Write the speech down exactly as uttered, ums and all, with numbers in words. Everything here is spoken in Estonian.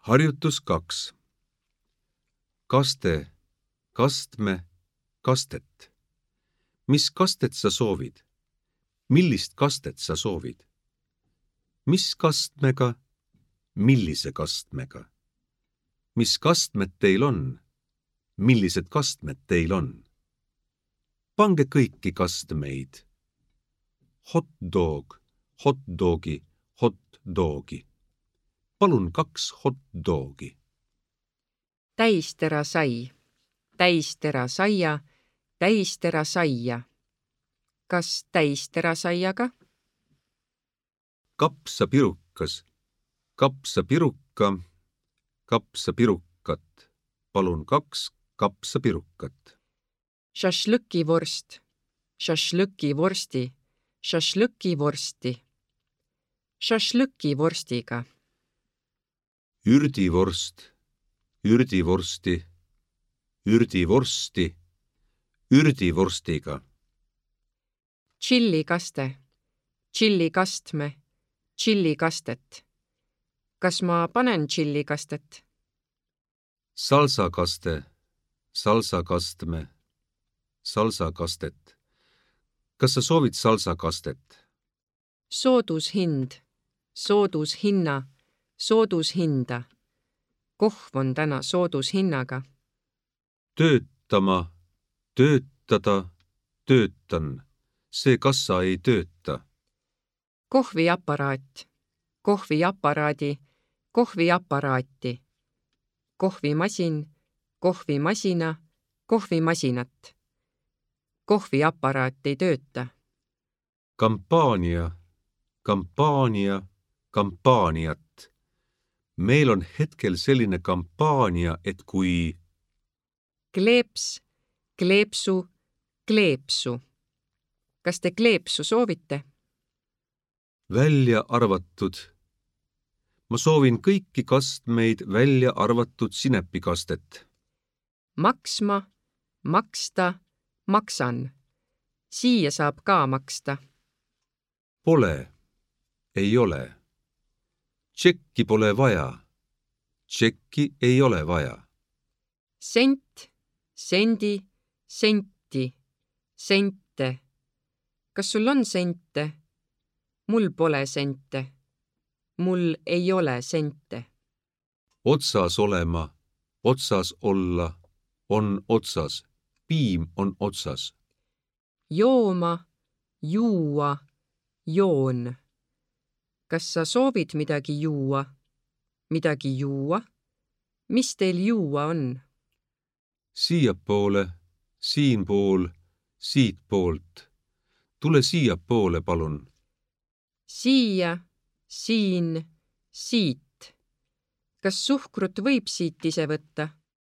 Harjutus kaks. Kaste, kastme, kastet. Mis kastet sa soovid? Millist kastet sa soovid? Mis kastmega? Millise kastmega? Mis kastmed teil on? Millised kastmed teil on? Pange kõiki kastmeid. Hot dog, hot dogi, hot dogi. Palun kaks hot dogi. Täistera sai, täistera saia, täistera saia. Kas täistera saiaga? Kapsapirukas, kapsapirukka, kapsapirukat. Palun kaks kapsapirukat. Šašlõkivorst, šašlõkivorsti, šašlõkivorsti. Šašlõkivorstiga. Ürdivorst, ürdivorsti, ürdivorsti, ürdivorstiga. Tšillikaste, tšillikastme, tšillikastet. Kas ma panen tšillikastet? Salsakaste, salsakastme, salsakastet. Kas sa soovid salsakastet? Soodushind, soodushinna, soodushinda. Kohv on täna soodushinnaga. Töötama, töötada, töötan. See kassa ei tööta. Kohviaparaat, kohviaparaadi, kohviaparaati. Kohvimasin, kohvimasina, kohvimasinat. Kohviaparaat ei tööta. Kampaania, kampaania, kampaaniat. Meil on hetkel selline kampaania, et kui... Kleeps, kleepsu, kleepsu. Kas te kleepsu soovite? Välja arvatud. Ma soovin kõiki kastmeid välja arvatud sinepikastet. Maksma, maksta, maksan. Siia saab ka maksta. Pole, ei ole. Tšekki pole vaja. Tšekki ei ole vaja. Sent, sendi, senti, sente. Kas sul on sente? Mul pole sente. Mul ei ole sente. Otsas olema, otsas olla, on otsas. Piim on otsas. Jooma, juua, joon. Kas sa soovid midagi juua? Midagi juua? Mis teil juua on? Siiapoole, siinpool, siitpoolt. Tule siiapoole, palun. Siia, siin, siit. Kas suhkrut võib siit ise võtta?